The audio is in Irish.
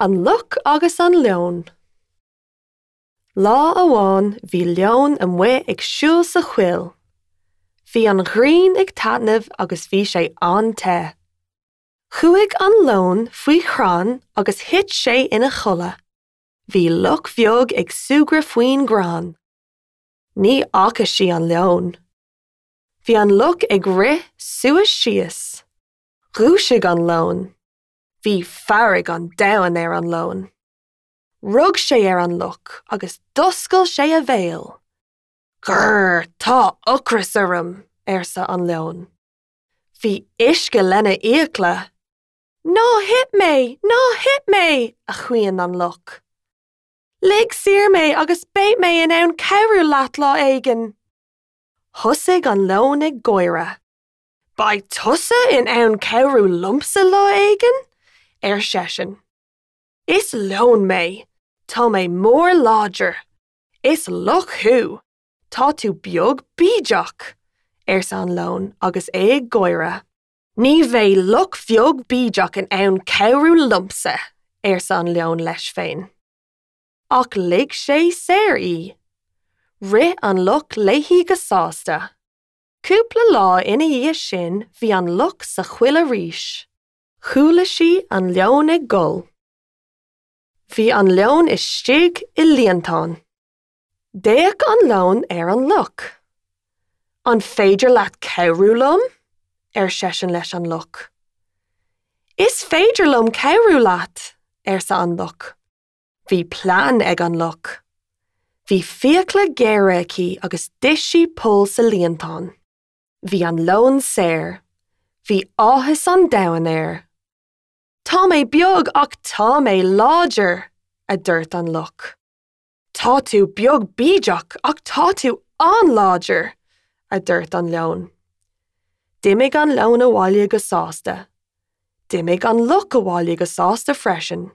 An Luch agus an Leon. Lá amháin bhí leon amuigh ag siúl sa choill. Bhí an ghrian ag taitneamh agus bhí sé an-te. Chuaigh an leon faoi chrann agus thit sé ina chodladh. Bhí luch bheag ag súgradh faoin gcrann. Ní fhaca sí an leon. Bhí an luch ag rith suas síos. Dhúisigh an leon. Bhí fearg an domhain ar an leon. Rug sé ar an luch agus d'oscail sé a bhéal. Grrr, tá ocras orm, arsa an leon. Bhí uisce lena fhiacla. Ná hith mé! Ná hith mé! a chaoin an luch. Lig saor mé agus beidh mé in ann cabhrú leat lá éigin. Thosaigh an leon ag gáire. Beidh tusa in ann cabhrú liomsa lá éigin? ar seisean. Is leon mé. Tá mé mór láidir. Is luch thú. Tá tú beag bídeach! arsa an leon agus é ag gáire. Ní bheidh luch bheag bídeach in ann cabhrú liomsa! arsa an leon leis féin. Ach lig sé saor í. Rith an luch léi go sásta. Cúpla lá ina dhiaidh sin bhí an luch sa choill arís. Chuala sí an leon ag gol. Bhí an leon istigh i líontán. D'fhéach an leon ar an luch. An féidir leat cabhrú liom? ar seisean leis an luch. Is féidir liom cabhrú leat, arsa an luch. Bhí plean ag an luch. Bhí fiacla géara aici agus d'ith sí poll sa líontán. Bhí an leon saor. Bhí áthas an domhain air. Tá mé beag ach tá mé láidir, a dúirt an luch. Tá tú beag bídeach ach tá tú an-láidir, a dúirt an leon. D'imigh an leon abhaile go sásta. D'imigh an luch abhaile go sásta freisin.